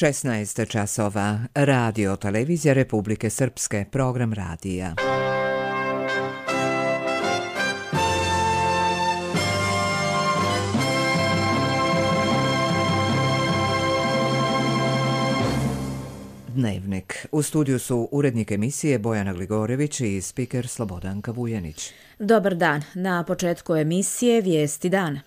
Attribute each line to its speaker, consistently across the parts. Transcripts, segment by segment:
Speaker 1: 16 časova. Radio Televizija Republike Srpske. Program radija. Dnevnik. U studiju su urednik emisije Bojana Gligorević i spiker Slobodanka Vujanić.
Speaker 2: Dobar dan. Na početku emisije Vijesti dana.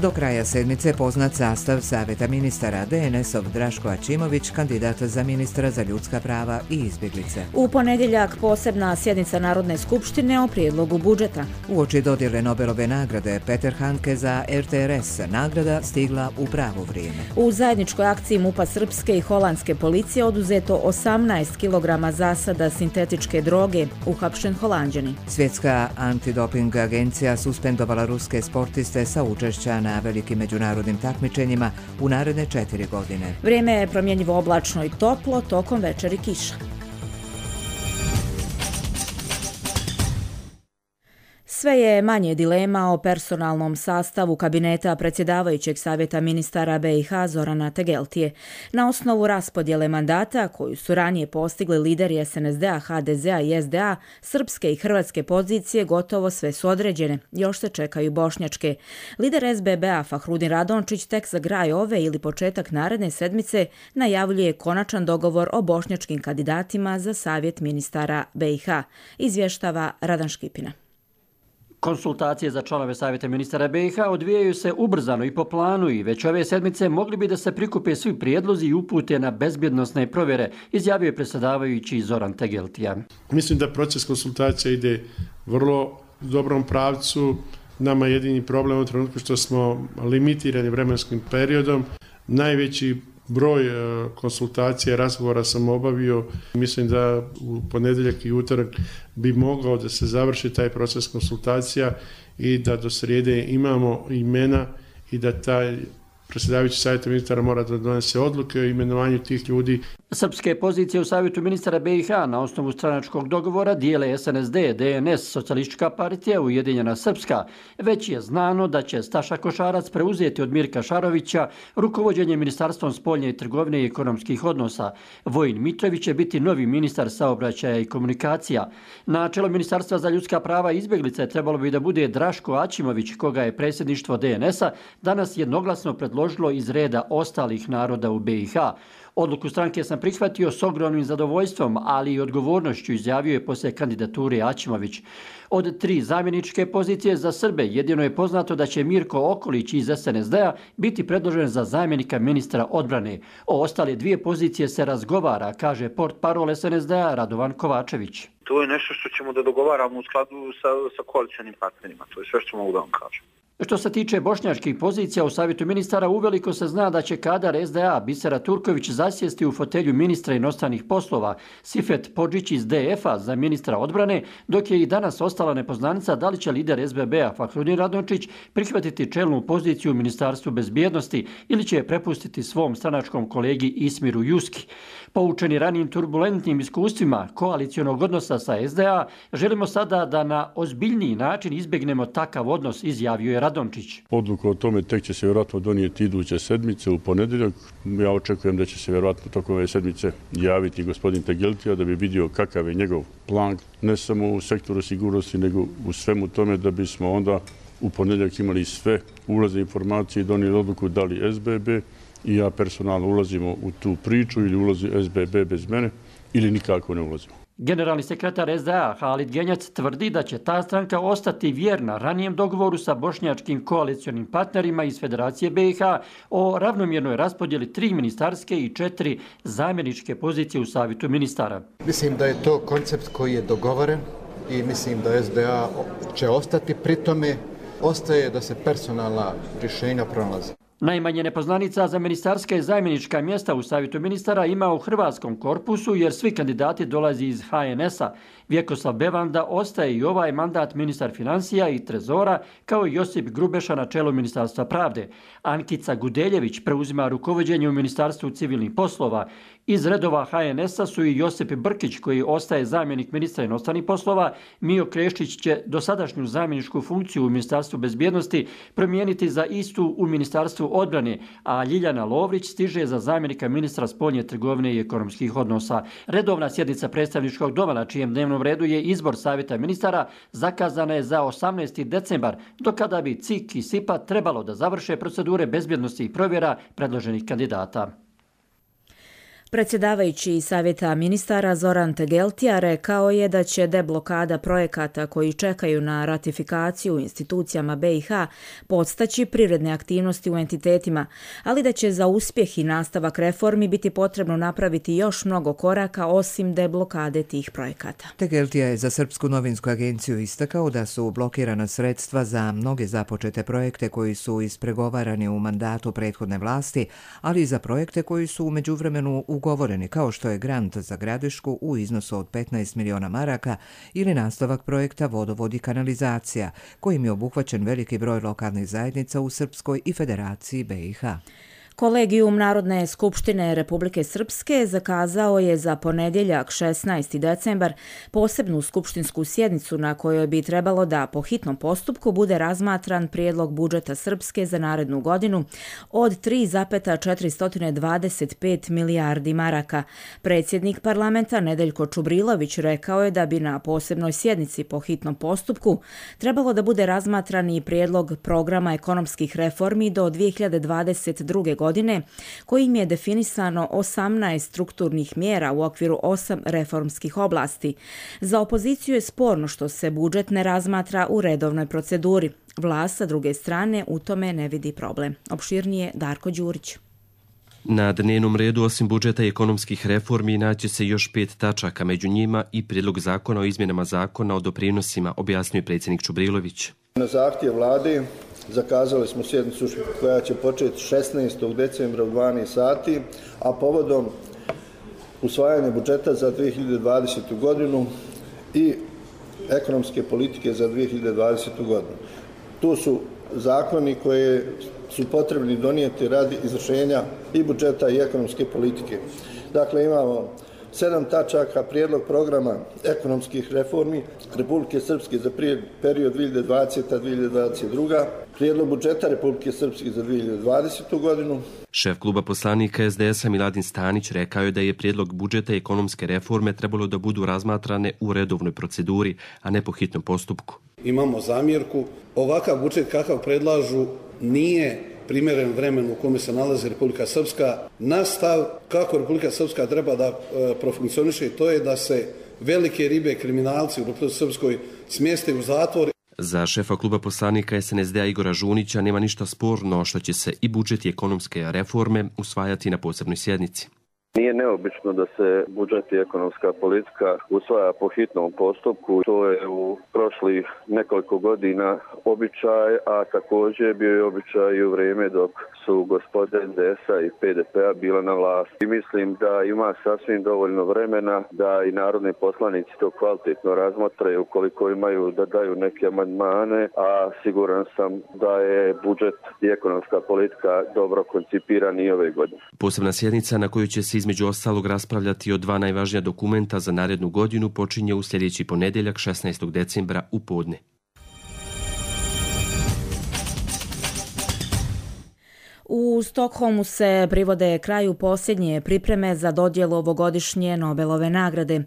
Speaker 1: Do kraja sedmice poznat sastav Savjeta ministara. DNS-ov Draško Ačimović, kandidat za ministra za ljudska prava i izbjeglice.
Speaker 2: U ponedjeljak posebna sjednica Narodne skupštine o prijedlogu budžeta.
Speaker 1: Uoči dodjele Nobelove nagrade Peter Handke za RTRS, nagrada stigla u pravo vrijeme.
Speaker 2: U zajedničkoj akciji MUP-a srpske i holandske policije oduzeto 18 kg zasada sintetičke droge, uhapšen Holanđanin.
Speaker 1: Svjetska antidoping agencija suspendovala ruske sportiste sa učešća na velikim međunarodnim takmičenjima u naredne 4 godine.
Speaker 2: Vrijeme je promjenjivo oblačno i toplo, tokom večeri kiša. Sve je manje dilema o personalnom sastavu kabineta predsjedavajućeg Savjeta ministara BiH Zorana Tegeltije. Na osnovu raspodjele mandata koju su ranije postigli lideri SNSD-a, HDZ-a i SDA, srpske i hrvatske pozicije gotovo sve su određene. Još se čekaju bošnjačke. Lider SBB-a Fahrudin Radončić tek za kraj ove ili početak naredne sedmice najavljuje konačan dogovor o bošnjačkim kandidatima za Savjet ministara BiH. Izvještava Radan Škipina.
Speaker 3: Konsultacije za članove Savjeta ministara BiH odvijaju se ubrzano i po planu i već ove sedmice mogli bi da se prikupe svi prijedlozi i upute na bezbjednosne provjere, izjavio je predsjedavajući Zoran Tegeltija.
Speaker 4: Mislim da proces konsultacija ide vrlo dobrom pravcu. Nama je jedini problem u trenutku što smo limitirani vremenskim periodom. Najveći broj konsultacija i razgovora sam obavio. Mislim da u ponedjeljak i utorak bi mogao da se završi taj proces konsultacija i da do srijede imamo imena i da taj predsjedavajući savjeta ministara mora da donese odluke o imenovanju tih ljudi.
Speaker 3: Srpske pozicije u Savjetu ministara BiH na osnovu stranačkog dogovora dijele SNSD, DNS, Socijalistička partija, Ujedinjena Srpska. Već je znano da će Staša Košarac preuzeti od Mirka Šarovića rukovođenje Ministarstvom spoljne trgovine i ekonomskih odnosa. Vojin Mitrović će biti novi ministar saobraćaja i komunikacija. Na čelo Ministarstva za ljudska prava i izbjeglice trebalo bi da bude Draško Ačimović, koga je predsjedništvo DNS-a danas jednoglasno predložilo iz reda ostalih naroda u BiH. Odluku stranke sam prihvatio s ogromnim zadovoljstvom, ali i odgovornošću, izjavio je poslije kandidature Ačimović. Od 3 zamjeničke pozicije za Srbe jedino je poznato da će Mirko Okolić iz SNSD-a biti predložen za zamjenika ministra odbrane. O ostale 2 pozicije se razgovara, kaže portparol SNSD-a Radovan Kovačević.
Speaker 5: To je nešto što ćemo da dogovaramo u skladu sa koalicionim partnerima. To je sve što mogu da vam kažem.
Speaker 3: Što se tiče bošnjačkih pozicija u Savjetu ministara, uveliko se zna da će kadar SDA Bisera Turković zasjesti u fotelju ministra inostranih poslova, Sifet Podžić iz DF-a za ministra odbrane, dok je i danas ostala nepoznanica da li će lider SBB-a Fahrudin Radončić prihvatiti čelnu poziciju u Ministarstvu bezbjednosti ili će je prepustiti svom stranačkom kolegi Ismiru Juski. Poučeni ranijim turbulentnim iskustvima koalicionog odnosa sa SDA, želimo sada da na ozbiljniji način izbjegnemo takav odnos, izjavio je Radončić.
Speaker 6: Odluku o tome tek će se vjerojatno donijeti iduće sedmice u ponedjeljak. Ja očekujem da će se vjerojatno tokom ove sedmice javiti gospodin Tegeltija da bi vidio kakav je njegov plan, ne samo u sektoru sigurnosti, nego u svemu tome da bismo onda u ponedjeljak imali sve ulazne informacije i donijeli odluku da li SBB i ja personalno ulazimo u tu priču ili ulazi SBB bez mene ili nikako ne ulazimo.
Speaker 3: Generalni sekretar SDA Halid Genjac tvrdi da će ta stranka ostati vjerna ranijem dogovoru sa bošnjačkim koalicionim partnerima iz Federacije BiH o ravnomjernoj raspodjeli 3 ministarske i 4 zamjeničke pozicije u Savjetu ministara.
Speaker 7: Mislim da je to koncept koji je dogovoren i mislim da SDA će ostati pri tome. Ostaje da se personalna rješenja pronalaze.
Speaker 3: Najmanje nepoznanica za ministarska i zamjenička mjesta u Savjetu ministara ima u hrvatskom korpusu jer svi kandidati dolazi iz HNS-a. Vjekoslav Bevanda ostaje i ovaj mandat ministar financija i trezora, kao i Josip Grubeša na čelu Ministarstva pravde. Ankica Gudeljević preuzima rukovođenje u Ministarstvu civilnih poslova. Iz redova HNS-a su i Josip Brkić, koji ostaje zamjenik ministra inostranih poslova, Mijo Kreštić će dosadašnju zamjeničku funkciju u Ministarstvu bezbjednosti promijeniti za istu u Ministarstvu odbrane, a Ljiljana Lovrić stiže za zamjenika ministra spoljne trgovine i ekonomskih odnosa. Redovna sjednica predstavničkog doma na čijem dnevnom redu je izbor savjeta ministara zakazana je za 18. decembar, do kada bi CIK i SIPA trebalo da završe procedure bezbjednosti i provjera predloženih kandidata.
Speaker 2: Predsjedavajući savjeta ministara Zoran Tegeltija rekao je da će deblokada projekata koji čekaju na ratifikaciju u institucijama BiH podstaći privredne aktivnosti u entitetima, ali da će za uspjeh i nastavak reformi biti potrebno napraviti još mnogo koraka osim deblokade tih projekata.
Speaker 1: Tegeltija je za Srpsku novinsku agenciju istakao da su blokirana sredstva za mnoge započete projekte koji su ispregovarani u mandatu prethodne vlasti, ali i za projekte koji su u međuvremenu ugovoreni, kao što je grant za Gradišku u iznosu od 15 miliona maraka ili nastavak projekta Vodovod i kanalizacija, kojim je obuhvaćen veliki broj lokalnih zajednica u Srpskoj i Federaciji BiH.
Speaker 2: Kolegijum Narodne skupštine Republike Srpske zakazao je za ponedjeljak 16. decembar posebnu skupštinsku sjednicu na kojoj bi trebalo da po hitnom postupku bude razmatran prijedlog budžeta Srpske za narednu godinu od 3,425 milijardi maraka. Predsjednik parlamenta Nedeljko Čubrilović rekao je da bi na posebnoj sjednici po hitnom postupku trebalo da bude razmatran i prijedlog programa ekonomskih reformi do 2022. godine, kojim je definisano 18 strukturnih mjera u okviru 8 reformskih oblasti. Za opoziciju je sporno što se budžet ne razmatra u redovnoj proceduri. Vlast sa druge strane u tome ne vidi problem. Opširnije Darko Đurić.
Speaker 8: Na dnevnom redu osim budžeta i ekonomskih reformi naće se još 5 tačaka, među njima i prijedlog zakona o izmjenama zakona o doprinosima, objasnio je predsjednik Čubrilović.
Speaker 9: Na zahtjev vlade zakazali smo sjednicu koja će početi 16. decembra u 12 sati, a povodom usvajanja budžeta za 2020. godinu i ekonomske politike za 2020. godinu. Tu su zakoni koje su potrebni donijeti radi izvršenja i budžeta i ekonomske politike. Dakle, imamo 7 tačaka: prijedlog programa ekonomskih reformi Republike Srpske za period 2020-2022, prijedlog budžeta Republike Srpske za 2020. godinu.
Speaker 8: Šef kluba poslanika SDS-a Miladin Stanić rekao je da je prijedlog budžeta i ekonomske reforme trebalo da budu razmatrane u redovnoj proceduri, a ne po hitnom postupku.
Speaker 10: Imamo zamjerku. Ovakav budžet kakav predlažu nije primjeren vremenu u kome se nalazi Republika Srpska. Naš stav kako Republika Srpska treba da profunkcioniše, to je da se velike ribe, kriminalci u Republike Srpskoj smjeste u zatvor.
Speaker 8: Za šefa kluba poslanika SNSD-a Igora Žunića nema ništa sporno što će se i budžet i ekonomske reforme usvajati na posebnoj sjednici.
Speaker 11: Nije neobično da se budžet i ekonomska politika usvaja po hitnom postupku. To je u prošlih nekoliko godina običaj, a također bio je običaj i u vrijeme dok su gospode SDS-a i PDP-a bila na vlasti. I mislim da ima sasvim dovoljno vremena da i narodni poslanici to kvalitetno razmotre ukoliko imaju da daju neke amandmane, a siguran sam da je budžet i ekonomska politika dobro koncipirani i ove godine.
Speaker 8: Posebna sjednica na kojoj će se između ostalog raspravljati o 2 najvažnija dokumenta za narednu godinu počinje u sljedeći ponedjeljak 16. decembra u podne.
Speaker 2: U Stokholmu se privode kraju posljednje pripreme za dodjelu ovogodišnje Nobelove nagrade.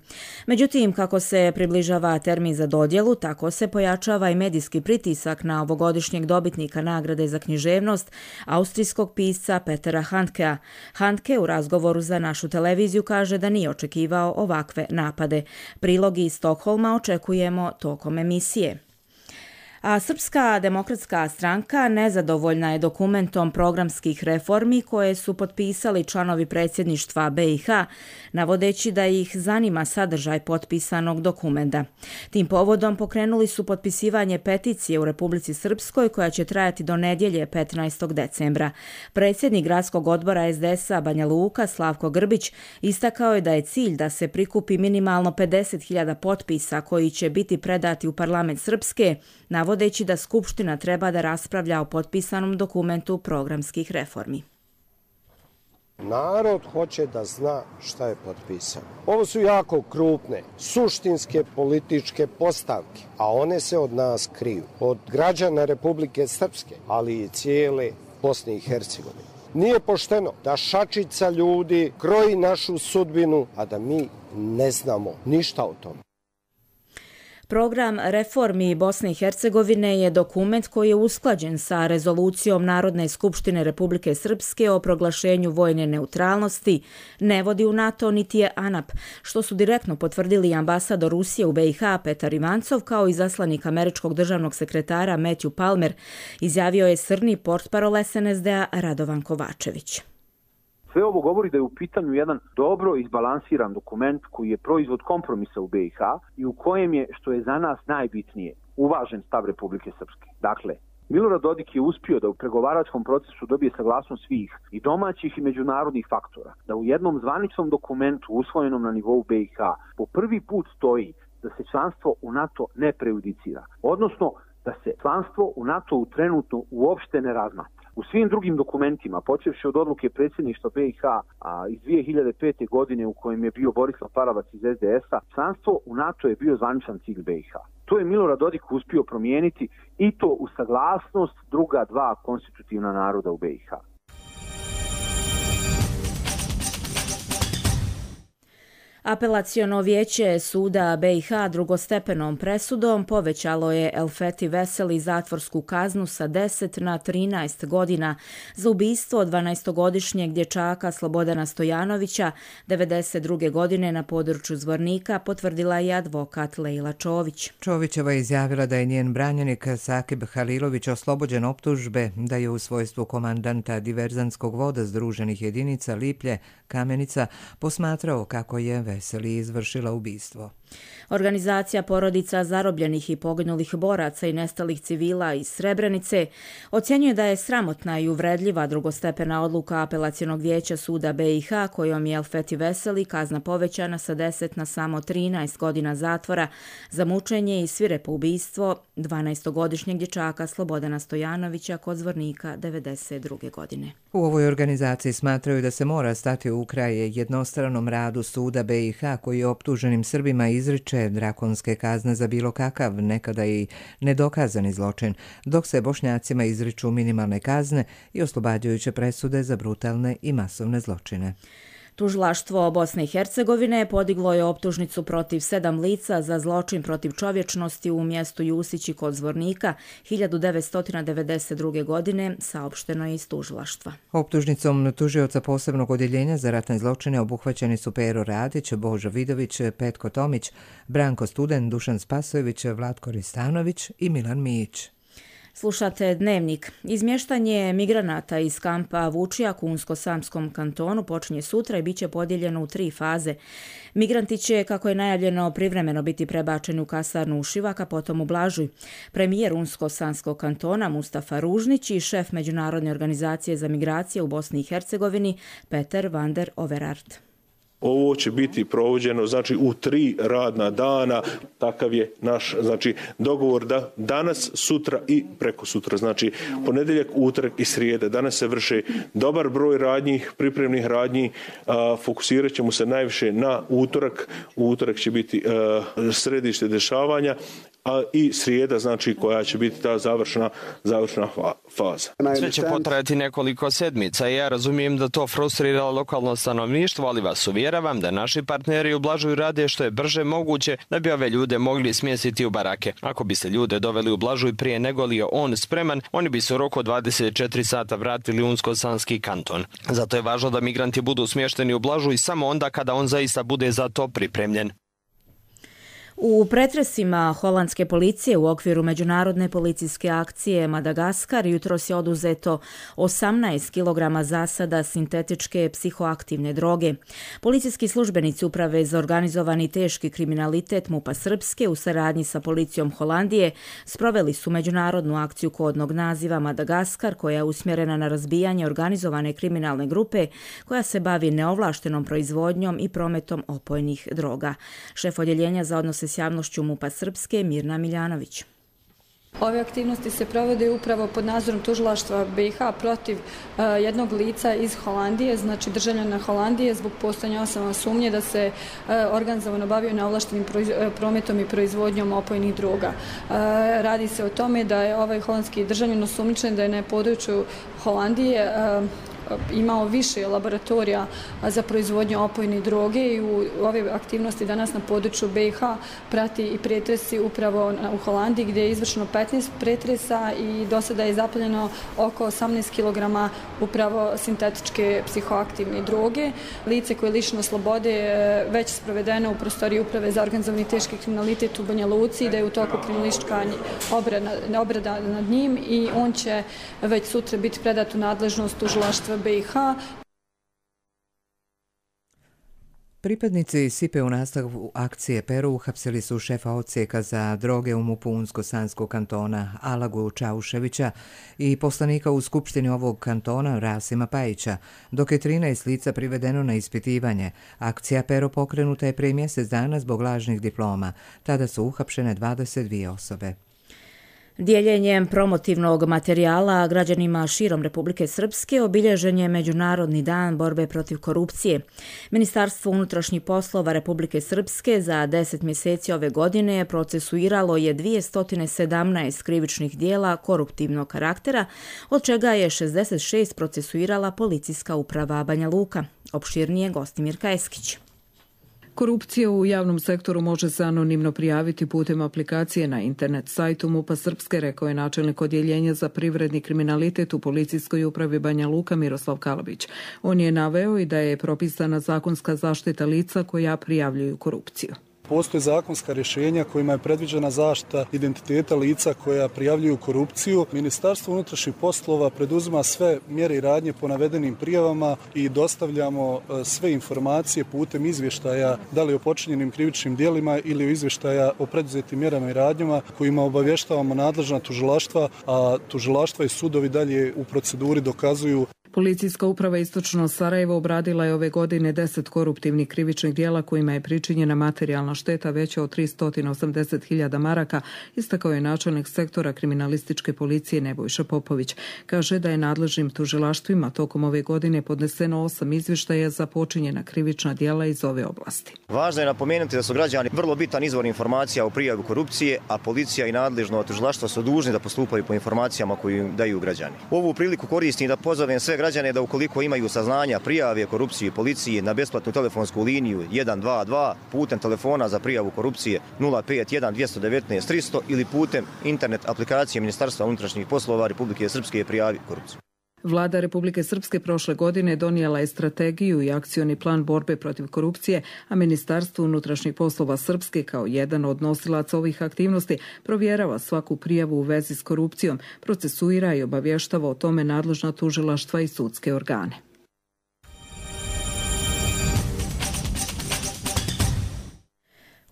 Speaker 2: Međutim, kako se približava termin za dodjelu, tako se pojačava i medijski pritisak na ovogodišnjeg dobitnika nagrade za književnost, austrijskog pisca Petera Handkea. Handke u razgovoru za našu televiziju kaže da nije očekivao ovakve napade. Prilogi iz Stokholma očekujemo tokom emisije. A Srpska demokratska stranka nezadovoljna je dokumentom programskih reformi koje su potpisali članovi predsjedništva BiH, navodeći da ih zanima sadržaj potpisanog dokumenta. Tim povodom pokrenuli su potpisivanje peticije u Republici Srpskoj koja će trajati do nedjelje 15. decembra. Predsjednik gradskog odbora SDS-a Banja Luka Slavko Grbić istakao je da je cilj da se prikupi minimalno 50.000 potpisa koji će biti predati u parlament Srpske, navodeći da Skupština treba da raspravlja o potpisanom dokumentu programskih reformi.
Speaker 12: Narod hoće da zna šta je potpisano. Ovo su jako krupne, suštinske političke postavke, a one se od nas kriju. Od građana Republike Srpske, ali i cijele Bosne i Hercegovine. Nije pošteno da šačica ljudi kroji našu sudbinu, a da mi ne znamo ništa o tome.
Speaker 2: Program reformi Bosne i Hercegovine je dokument koji je usklađen sa rezolucijom Narodne skupštine Republike Srpske o proglašenju vojne neutralnosti, ne vodi u NATO niti je ANAP, što su direktno potvrdili ambasador Rusije u BiH Petar Ivancov kao i zaslanik američkog državnog sekretara Matthew Palmer, izjavio je srni portparol SNSD-a Radovan Kovačević.
Speaker 13: Sve ovo govori da je u pitanju jedan dobro izbalansiran dokument koji je proizvod kompromisa u BiH i u kojem je, što je za nas najbitnije, uvažen stav Republike Srpske. Dakle, Milorad Dodik je uspio da u pregovaračkom procesu dobije saglasnost svih i domaćih i međunarodnih faktora, da u jednom zvaničnom dokumentu usvojenom na nivou BiH po prvi put stoji da se članstvo u NATO ne prejudicira, odnosno da se članstvo u NATO trenutno uopšte ne razmatra. U svim drugim dokumentima, počevši od odluke predsjedništva BiH iz 2005. godine u kojem je bio Borislav Paravac iz SDS-a, članstvo u NATO je bio zvaničan cilj BiH. To je Milorad Dodik uspio promijeniti i to u saglasnost druga dva konstitutivna naroda u BiH.
Speaker 2: Apelaciono vijeće suda BiH drugostepenom presudom povećalo je Elfeti Veseli zatvorsku kaznu sa 10 na 13 godina za ubistvo 12-godišnjeg dječaka Slobodana Stojanovića 1992. godine na području Zvornika, potvrdila je advokat Lejla Čović.
Speaker 1: Čovićeva je izjavila da je njen branjenik Sakib Halilović oslobođen optužbe da je u svojstvu komandanta diverzantskog voda Združenih jedinica Liplje, Kamenica, posmatrao kako je Veseli izvršila ubistvo.
Speaker 2: Organizacija porodica zarobljenih i poginulih boraca i nestalih civila iz Srebrenice ocjenjuje da je sramotna i uvredljiva drugostepena odluka Apelacionog vijeća suda BiH kojom je Elfeti Veseli kazna povećana sa 10 na samo 13 godina zatvora za mučenje i svirepo ubistvo 12-godišnjeg dječaka Slobodana Stojanovića kod Zvornika 1992. godine.
Speaker 1: U ovoj organizaciji smatraju da se mora stati u kraj jednostranom radu suda BiH koji je optuženim Srbima izriče drakonske kazne za bilo kakav, nekada i nedokazani zločin, dok se Bošnjacima izriču minimalne kazne i oslobađajuće presude za brutalne i masovne zločine.
Speaker 2: Tužilaštvo Bosne i Hercegovine podiglo je optužnicu protiv 7 lica za zločin protiv čovječnosti u mjestu Jusići kod Zvornika 1992. godine, saopšteno je iz tužilaštva.
Speaker 1: Optužnicom tužioca posebnog odjeljenja za ratne zločine obuhvaćeni su Pero Radić, Božo Vidović, Petko Tomić, Branko Student, Dušan Spasojević, Vlatko Ristanović i Milan Mijić.
Speaker 2: Slušate Dnevnik. Izmještanje migranata iz kampa Vučijak u Unsko-Sanskom kantonu počinje sutra i bit će podijeljeno u 3 faze. Migranti će, kako je najavljeno, privremeno biti prebačeni u kasarnu u Šivak, a potom u Blažuj. Premijer Unsko-Sanskog kantona Mustafa Ružnić i šef Međunarodne organizacije za migracije u Bosni i Hercegovini Peter van der Overaard.
Speaker 14: Ovo će biti provođeno u 3 radna dana, takav je naš dogovor da danas, sutra i preko sutra, ponedjeljak, utorak i srijeda. Danas se vrše dobar broj radnji, pripremnih radnji, fokusirat ćemo se najviše na utorak. Utorak će biti središte dešavanja, a i srijeda, koja će biti ta završna faza.
Speaker 15: Sve će potrajati nekoliko sedmica i ja razumijem da to frustrira lokalno stanovništvo, ali vas uvjeravam da naši partneri u Blažuju rade što je brže moguće da bi ove ljude mogli smjestiti u barake. Ako bi se ljude doveli u Blažuj prije nego li je on spreman, oni bi se u roku od 24 sata vratili u Unsko-Sanski kanton. Zato je važno da migranti budu smješteni u Blažuj samo onda kada on zaista bude za to pripremljen.
Speaker 2: U pretresima holandske policije u okviru međunarodne policijske akcije Madagaskar jutros je oduzeto 18 kg zasada sintetičke psihoaktivne droge. Policijski službenici Uprave za organizovani teški kriminalitet MUP-a Srpske u saradnji sa policijom Holandije sproveli su međunarodnu akciju kodnog naziva Madagaskar koja je usmjerena na razbijanje organizovane kriminalne grupe koja se bavi neovlaštenom proizvodnjom i prometom opojnih droga. Šef odjeljenja za odnose s javnošću MUP-a Srpske Mirna Miljanović.
Speaker 16: Ove aktivnosti se provode upravo pod nadzorom tužilaštva BiH protiv jednog lica iz Holandije, znači državljana Holandije, zbog postojanja osnovne sumnje da se organizovano bavio neovlaštenim prometom i proizvodnjom opojnih droga. Radi se o tome da je ovaj holandski državljanin osumnjičen da je na području Holandije imao više laboratorija za proizvodnju opojne droge i u ove aktivnosti danas na području BiH prati i pretresi upravo u Holandiji gdje je izvršeno 15 pretresa i do sada je zapaljeno oko 18 kg upravo sintetičke psihoaktivne droge. Lice koje je lišeno slobode već sprovedeno u prostoriji Uprave za organizovani teški kriminalitet u Banja Luci, da je u toku kriminalistička obrada nad njim i on će već sutra biti predat u nadležnost tužilaštva BiH.
Speaker 1: Pripadnici SIPE u nastavu akcije Peru uhapsili su šefa odsjeka za droge u MUP-u Unsko-Sanskog kantona Alagu Čauševića i poslanika u skupštini ovog kantona Rasima Pajića, dok je 13 lica privedeno na ispitivanje. Akcija Pero pokrenuta je prije mjesec dana zbog lažnih diploma. Tada su uhapšene 22 osobe.
Speaker 2: Dijeljenjem promotivnog materijala građanima širom Republike Srpske obilježen je Međunarodni dan borbe protiv korupcije. Ministarstvo unutrašnjih poslova Republike Srpske za 10 mjeseci ove godine procesuiralo je 217 krivičnih dijela koruptivnog karaktera, od čega je 66 procesuirala Policijska uprava Banja Luka. Opširnije Gostimirka Eskić.
Speaker 17: Korupcija u javnom sektoru može se anonimno prijaviti putem aplikacije na internet sajtu MUP-a Srpske, rekao je načelnik odjeljenja za privredni kriminalitet u Policijskoj upravi Banja Luka Miroslav Kalabić. On je naveo i da je propisana zakonska zaštita lica koja prijavljuju korupciju.
Speaker 18: Postoje zakonska rješenja kojima je predviđena zaštita identiteta lica koja prijavljuju korupciju. Ministarstvo unutrašnjih poslova preduzima sve mjere i radnje po navedenim prijavama i dostavljamo sve informacije putem izvještaja, da li o počinjenim krivičnim djelima ili o izvještaja o preduzetim mjerama i radnjama kojima obavještavamo nadležna tužilaštva, a tužilaštva i sudovi dalje u proceduri dokazuju.
Speaker 17: Policijska uprava Istočno Sarajevo obradila je ove godine 10 koruptivnih krivičnih djela kojima je pričinjena materijalna šteta veća od 380.000 maraka, istakao je načelnik sektora kriminalističke policije Nebojša Popović. Kaže da je nadležnim tužilaštvima tokom ove godine podneseno 8 izvještaja za počinjena krivična djela iz ove oblasti.
Speaker 19: Važno je napomenuti da su građani vrlo bitan izvor informacija o prijavu korupcije, a policija i nadležno tužilaštvo su dužni da postupaju po informacijama koje im daju građani. Ovu priliku koristim da pozovem sve građane da ukoliko imaju saznanja prijave korupcije policiji na besplatnu telefonsku liniju 122 putem telefona za prijavu korupcije 051 219 300 ili putem internet aplikacije Ministarstva unutrašnjih poslova Republike Srpske prijavi korupciju.
Speaker 17: Vlada Republike Srpske prošle godine donijela je strategiju i akcioni plan borbe protiv korupcije, a Ministarstvo unutrašnjih poslova Srpske kao jedan od nosilaca ovih aktivnosti provjerava svaku prijavu u vezi s korupcijom, procesuira i obavještava o tome nadležna tužilaštva i sudske organe.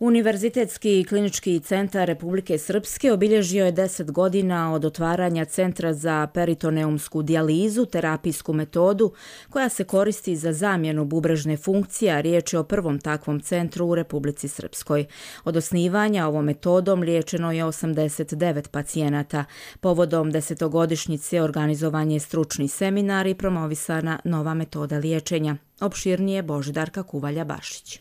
Speaker 2: Univerzitetski klinički centar Republike Srpske obilježio je 10 godina od otvaranja Centra za peritoneumsku dijalizu, terapijsku metodu koja se koristi za zamjenu bubrežne funkcije, a riječ je o prvom takvom centru u Republici Srpskoj. Od osnivanja ovom metodom liječeno je 89 pacijenata. Povodom 10-godišnjice organizovan je stručni seminar i promovisana nova metoda liječenja. Opširnije Božidarka Kuvalja-Bašić.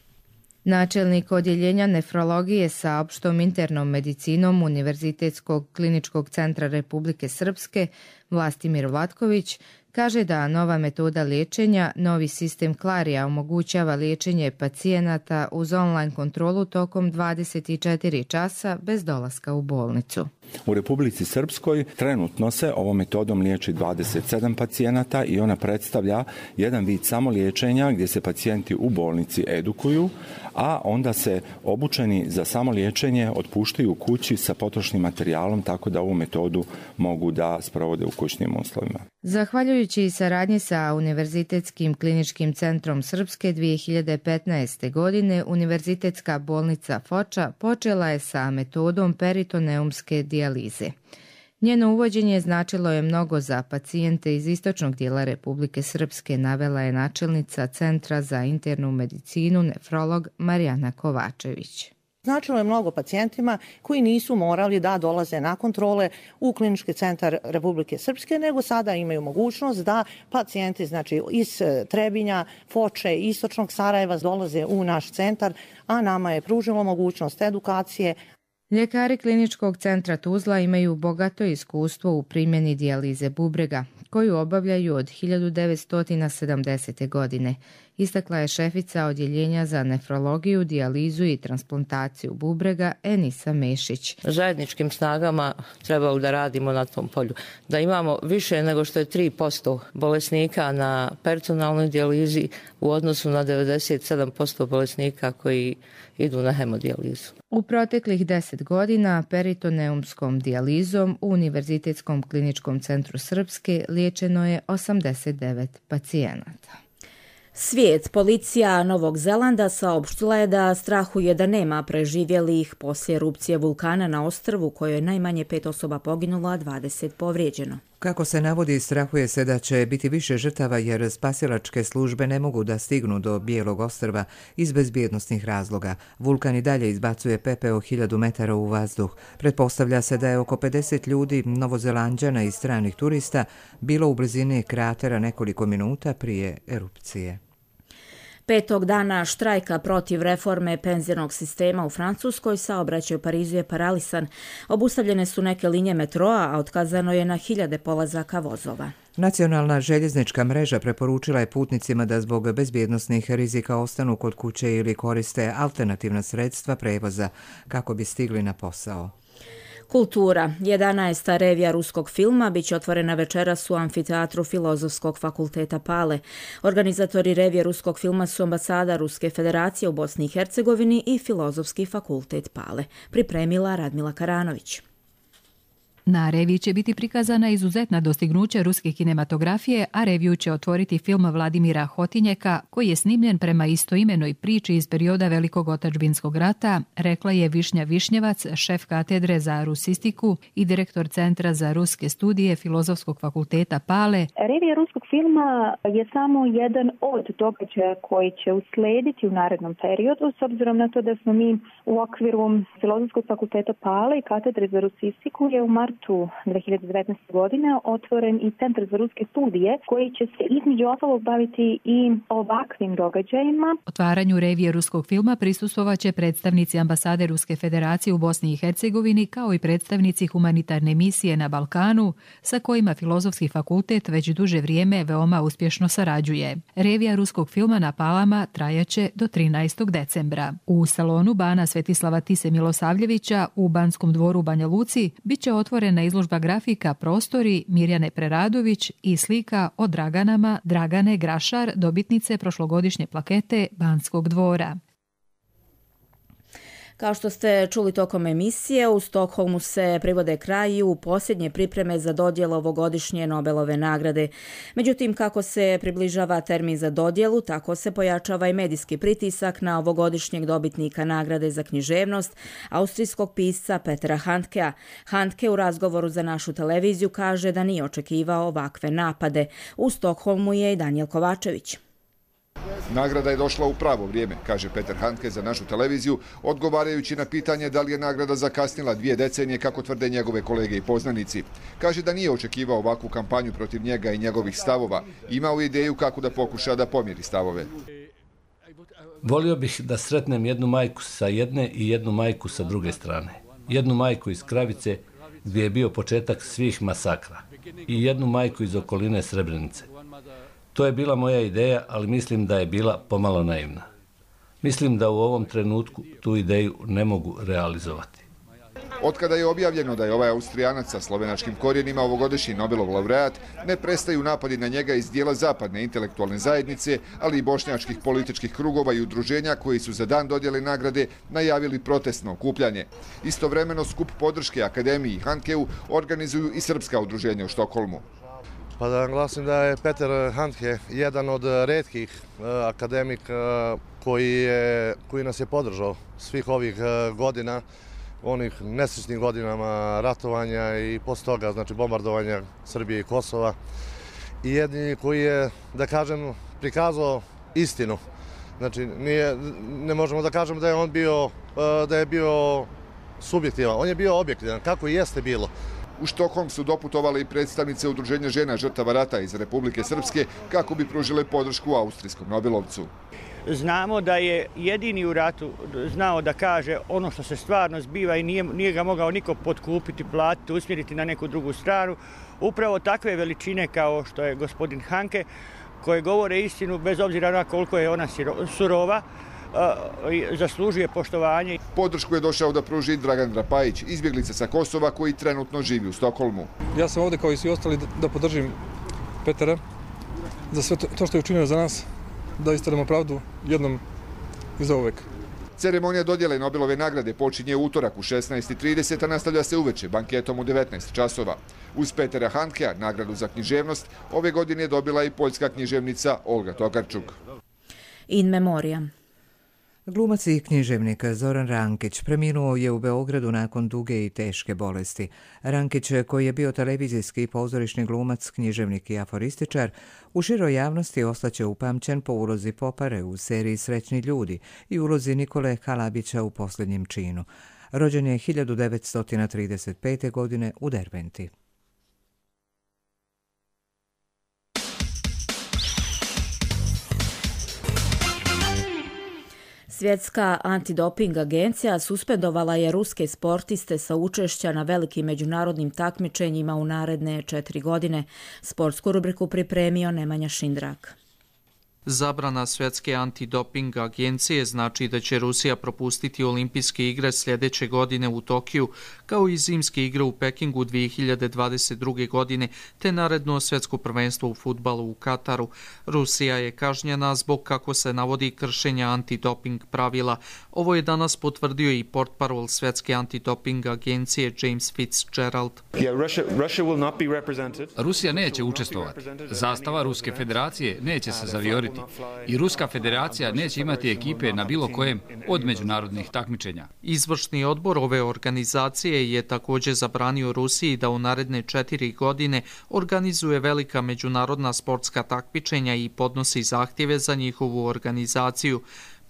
Speaker 20: Načelnik odjeljenja nefrologije sa opštom internom medicinom Univerzitetskog kliničkog centra Republike Srpske Vlastimir Vlatković kaže da nova metoda liječenja, novi sistem Klarija omogućava liječenje pacijenata uz online kontrolu tokom 24 časa bez dolaska u bolnicu.
Speaker 21: U Republici Srpskoj trenutno se ovom metodom liječi 27 pacijenata i ona predstavlja jedan vid samoliječenja gdje se pacijenti u bolnici edukuju, a onda se obučeni za samoliječenje otpuštaju u kući sa potrošnim materijalom tako da ovu metodu mogu da sprovode u kućnim uslovima.
Speaker 20: Zahvaljujući saradnji sa Univerzitetskim kliničkim centrom Srpske 2015. godine, Univerzitetska bolnica Foča počela je sa metodom peritoneumske dijalize. Njeno uvođenje značilo je mnogo za pacijente iz istočnog dijela Republike Srpske, navela je načelnica Centra za internu medicinu nefrolog Marijana Kovačević.
Speaker 4: Značilo je mnogo pacijentima koji nisu morali da dolaze na kontrole u Klinički centar Republike Srpske, nego sada imaju mogućnost da pacijenti iz Trebinja, Foče, istočnog Sarajeva dolaze u naš centar, a nama je pružilo mogućnost edukacije.
Speaker 20: Ljekari Kliničkog centra Tuzla imaju bogato iskustvo u primjeni dijalize bubrega, koju obavljaju od 1970. godine. Istakla je šefica odjeljenja za nefrologiju, dijalizu i transplantaciju bubrega Enisa Mešić.
Speaker 22: Zajedničkim snagama trebalo da radimo na tom polju. Da imamo više nego što je 3% bolesnika na peritonealnoj dijalizi u odnosu na 97% bolesnika koji idu na hemodijalizu.
Speaker 20: U proteklih 10 godina peritoneumskom dijalizom u Univerzitetskom kliničkom centru Srpske liječeno je 89 pacijenata.
Speaker 2: Svijet, policija Novog Zelanda saopštila je da strahuje da nema preživjelih poslije erupcije vulkana na ostrvu kojoj je najmanje 5 osoba poginulo, a 20 povrijeđeno.
Speaker 1: Kako se navodi, strahuje se da će biti više žrtava jer spasilačke službe ne mogu da stignu do Bijelog ostrva iz bezbjednosnih razloga. Vulkan i dalje izbacuje pepeo 1000 metara u vazduh. Pretpostavlja se da je oko 50 ljudi, Novozelanđana i stranih turista, bilo u blizini kratera nekoliko minuta prije erupcije.
Speaker 2: 5. dana štrajka protiv reforme penzionog sistema u Francuskoj, saobraćaj u Parizu je paralisan. Obustavljene su neke linije metroa, a otkazano je na 1000 polazaka vozova.
Speaker 1: Nacionalna željeznička mreža preporučila je putnicima da zbog bezbjednosnih rizika ostanu kod kuće ili koriste alternativna sredstva prevoza kako bi stigli na posao.
Speaker 2: Kultura. 11. revija ruskog filma biće otvorena večeras u amfiteatru Filozofskog fakulteta Pale. Organizatori revije ruskog filma su ambasada Ruske federacije u Bosni i Hercegovini i Filozofski fakultet Pale. Pripremila Radmila Karanović.
Speaker 23: Na reviji će biti prikazana izuzetna dostignuća ruske kinematografije, a reviju će otvoriti film Vladimira Hotinjeka, koji je snimljen prema istoimenoj priči iz perioda Velikog otadžbinskog rata, rekla je Višnja Višnjevac, šef katedre za rusistiku i direktor Centra za ruske studije Filozofskog fakulteta Pale.
Speaker 24: Revija ruskog filma je samo jedan od događaja koji će uslediti u narednom periodu, s obzirom na to da smo mi u okviru Filozofskog fakulteta Pale i katedre za rusistiku je u martu 2019. godine otvoren i Centar za ruske studije koji će se između ostalog baviti i ovakvim događajima.
Speaker 23: Otvaranju revije ruskog filma prisustvovaće predstavnici ambasade Ruske federacije u Bosni i Hercegovini kao i predstavnici humanitarne misije na Balkanu sa kojima Filozofski fakultet već duže vrijeme veoma uspješno sarađuje. Revija ruskog filma na Palama trajaće do 13. decembra. U salonu Bana Svetislava Tise Milosavljevića u Banskom dvoru Banja Luci biće otvorena izložba grafika Prostori Mirjane Preradović i slika o Draganama Dragane Grašar, dobitnice prošlogodišnje plakete Banskog dvora.
Speaker 2: Kao što ste čuli tokom emisije, u Stokholmu se privode kraju posljednje pripreme za dodjelu ovogodišnje Nobelove nagrade. Međutim, kako se približava termin za dodjelu, tako se pojačava i medijski pritisak na ovogodišnjeg dobitnika nagrade za književnost, austrijskog pisca Petera Handkea. Handke u razgovoru za našu televiziju kaže da nije očekivao ovakve napade. U Stokholmu je i Danijel Kovačević.
Speaker 25: Nagrada je došla u pravo vrijeme, kaže Peter Handke za našu televiziju, odgovarajući na pitanje da li je nagrada zakasnila 2 decenije, kako tvrde njegove kolege i poznanici. Kaže da nije očekivao ovakvu kampanju protiv njega i njegovih stavova. Imao ideju kako da pokuša da pomiri stavove.
Speaker 26: Volio bih da sretnem jednu majku sa jedne i jednu majku sa druge strane. Jednu majku iz Kravice, gdje je bio početak svih masakra, i jednu majku iz okoline Srebrenice. To je bila moja ideja, ali mislim da je bila pomalo naivna. Mislim da u ovom trenutku tu ideju ne mogu realizovati.
Speaker 25: Otkada je objavljeno da je ovaj Austrijanac sa slovenačkim korijenima ovogodišnji Nobelov laureat, ne prestaju napadi na njega iz dijela zapadne intelektualne zajednice, ali i bošnjačkih političkih krugova i udruženja koji su za dan dodjele nagrade najavili protestno okupljanje. Istovremeno skup podrške Akademiji i Handkeu organizuju i srpska udruženja u Štokholmu.
Speaker 27: Pa da naglasim da je Peter Handke jedan od retkih akademika koji nas je podržao svih ovih godina, onih nesrećnih godinama ratovanja i posle toga, znači bombardovanja Srbije i Kosova. I jedini koji je, da kažem, prikazao istinu Znači, ne možemo da kažemo da je on bio subjektivan. On je bio objektivan, kako i jeste bilo.
Speaker 25: U Štokholm su doputovali i predstavnice Udruženja žena žrtava rata iz Republike Srpske kako bi pružile podršku austrijskom Nobelovcu.
Speaker 3: Znamo da je jedini u ratu znao da kaže ono što se stvarno zbiva i nije ga mogao niko potkupiti, platiti, usmjeriti na neku drugu stranu. Upravo takve veličine kao što je gospodin Hanke, koje govore istinu bez obzira na koliko je ona surova, zaslužuje poštovanje.
Speaker 25: Podršku je došao da pruži Dragan Drapajić, izbjeglica sa Kosova koji trenutno živi u Stokholmu.
Speaker 5: Ja sam ovdje kao i svi ostali da podržim Petera za sve to što je učinio za nas, da istaramo pravdu jednom i za uvek.
Speaker 25: Ceremonija dodjele Nobelove nagrade počinje u utorak u 16:30, a nastavlja se uveče banketom u 19 časova. Uz Petera Handkea nagradu za književnost ove godine je dobila i poljska književnica Olga Tokarčuk.
Speaker 2: In memoriam.
Speaker 1: Glumac i književnik Zoran Rankić preminuo je u Beogradu nakon duge i teške bolesti. Rankić, koji je bio televizijski i pozorišni glumac, književnik i aforističar, u široj javnosti ostaće upamćen po ulozi Popare u seriji Srećni ljudi i ulozi Nikole Halabića u Posljednjem činu. Rođen je 1935. godine u Derventi.
Speaker 2: Svjetska antidoping agencija suspendovala je ruske sportiste sa učešća na velikim međunarodnim takmičenjima u naredne 4 godine. Sportsku rubriku pripremio Nemanja Šindrak.
Speaker 6: Zabrana Svjetske antidoping agencije znači da će Rusija propustiti olimpijske igre sljedeće godine u Tokiju, kao i zimske igre u Pekingu 2022. godine, te naredno svjetsko prvenstvo u fudbalu u Kataru. Rusija je kažnjena zbog, kako se navodi, kršenja antidoping pravila. Ovo je danas potvrdio i portparol Svjetske antidoping agencije James Fitzgerald.
Speaker 7: Rusija neće učestvovati. Zastava Ruske federacije neće se zavijoriti. I Ruska federacija neće imati ekipe na bilo kojem od međunarodnih takmičenja.
Speaker 6: Izvršni odbor ove organizacije je također zabranio Rusiji da u naredne 4 godine organizuje velika međunarodna sportska takmičenja i podnosi zahtjeve za njihovu organizaciju.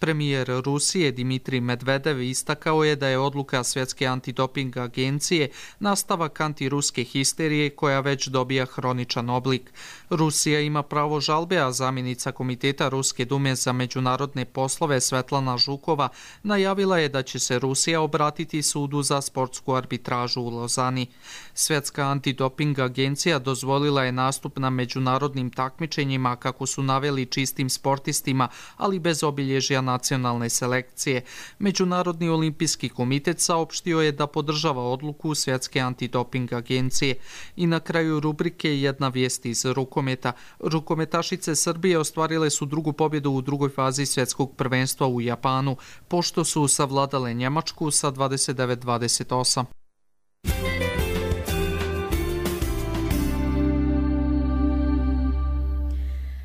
Speaker 6: Premijer Rusije Dimitrij Medvedev istakao je da je odluka Svjetske antidoping agencije nastavak antiruske histerije koja već dobija hroničan oblik. Rusija ima pravo žalbe, a zamjenica Komiteta Ruske dume za međunarodne poslove Svetlana Žukova najavila je da će se Rusija obratiti sudu za sportsku arbitražu u Lozani. Svjetska antidoping agencija dozvolila je nastup na međunarodnim takmičenjima, kako su naveli, čistim sportistima, ali bez obilježja nacionalne selekcije. Međunarodni olimpijski komitet saopštio je da podržava odluku Svjetske antidoping agencije. I na kraju rubrike jedna vijest iz rukometa. Rukometašice Srbije ostvarile su drugu pobjedu u drugoj fazi svjetskog prvenstva u Japanu, pošto su savladale Njemačku sa 29-28.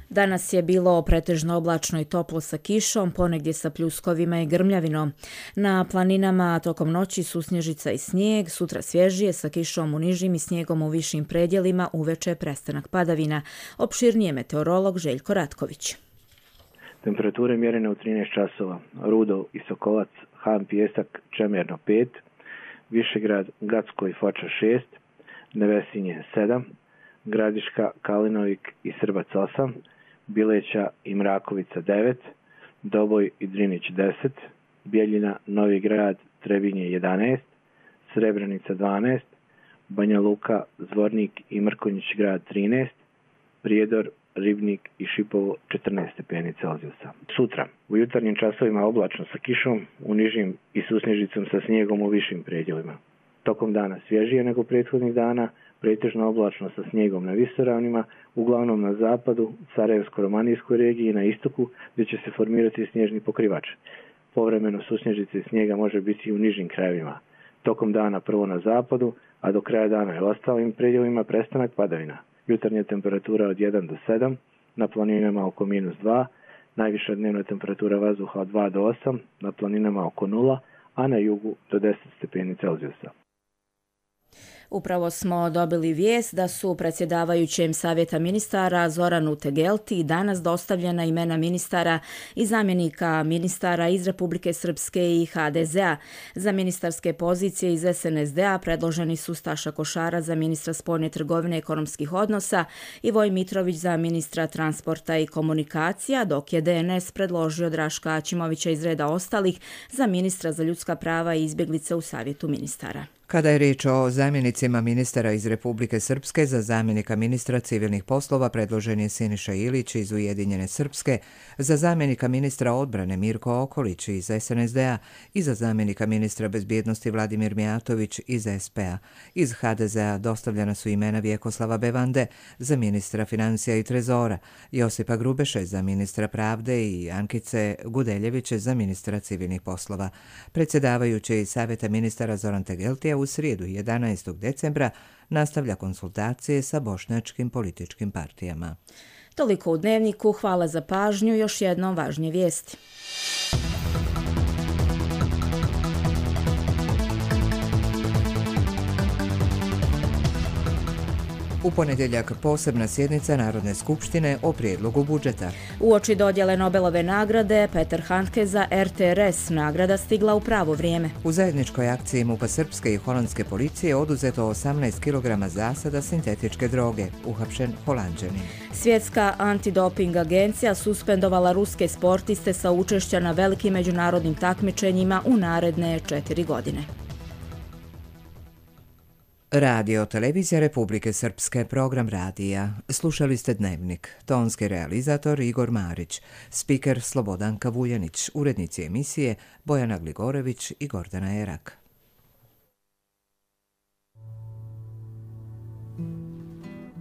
Speaker 2: Danas je bilo pretežno oblačno i toplo sa kišom, ponegdje sa pljuskovima i grmljavinom. Na planinama tokom noći susnježica i snijeg, sutra svježije sa kišom u nižim i snijegom u višim predjelima, uveče prestanak padavina. Opširnije meteorolog Željko Ratković.
Speaker 9: Temperature mjerene u 13 časova. Rudo i Sokolac, Han, Pijesak, Čemerno 5, Višegrad, Gacko i Foča 6, Nevesinje 7, Gradiška, Kalinovik i Srbac 8, Bileća i Mrakovica 9, Doboj i Drinić 10, Bjeljina, Novi Grad, Trebinje 11, Srebrenica 12, Banja Luka, Zvornik i Mrkonjić grad 13, Prijedor, Ribnik i Šipovo 14 stepeni Celzijusa. Sutra, u jutarnjim časovima oblačno sa kišom, u nižim i susnježicom sa snijegom u višim predjelima. Tokom dana svježije nego prethodnih dana, pretežno oblačno sa snijegom na visoravnima, uglavnom na zapadu, Sarajevsko-romanijskoj regiji i na istoku, gdje će se formirati snježni pokrivač. Povremeno susnježice i snijega može biti i u nižim krajevima. Tokom dana prvo na zapadu, a do kraja dana i ostalim predjelima prestanak padavina. Jutarnja temperatura od 1 do 7, na planinama oko -2, najviša dnevna temperatura vazduha od 2 do 8, na planinama oko 0, a na jugu do 10 stepeni Celzijusa.
Speaker 2: Upravo smo dobili vijest da su predsjedavajućem Savjeta ministara Zoranu Tegelti danas dostavljena imena ministara i zamjenika ministara iz Republike Srpske i HDZ-a. Za ministarske pozicije iz SNSD-a predloženi su Staša Košara za ministra spoljne trgovine i ekonomskih odnosa i Voj Mitrović za ministra transporta i komunikacija, dok je DNS predložio Draška Aćimovića iz reda ostalih za ministra za ljudska prava i izbjeglice u Savjetu ministara.
Speaker 1: Kada je riječ o zamjenicima ministara iz Republike Srpske, za zamjenika ministra civilnih poslova predložen je Siniša Ilić iz Ujedinjene Srpske, za zamjenika ministra odbrane Mirko Okolić iz SNSD-a i za zamjenika ministra bezbjednosti Vladimir Mijatović iz SP-a. Iz HDZ-a dostavljena su imena Vjekoslava Bevande za ministra financija i trezora, Josipa Grubeše za ministra pravde i Ankice Gudeljeviće za ministra civilnih poslova. Predsjedavajući Savjeta ministara Zoran Tegeltija u srijedu 11. decembra nastavlja konsultacije sa bošnjačkim političkim partijama.
Speaker 2: Toliko u Dnevniku, hvala za pažnju, još jednom važnije vijesti.
Speaker 1: U ponedjeljak posebna sjednica Narodne skupštine o prijedlogu budžeta.
Speaker 2: Uoči dodjele Nobelove nagrade, Peter Handke za RTRS nagrada stigla u pravo vrijeme.
Speaker 1: U zajedničkoj akciji MUP-a srpske i holandske policije oduzeto 18 kg zasada sintetičke droge, uhapšen Holanđanin.
Speaker 2: Svjetska antidoping agencija suspendovala ruske sportiste sa učešća na velikim međunarodnim takmičenjima u naredne 4 godine.
Speaker 1: Radio Televizija Republike Srpske, program radija. Slušali ste Dnevnik. Tonski realizator Igor Marić, spiker Slobodanka Vuljanić, urednici emisije Bojana Gligorević i Gordana Erak.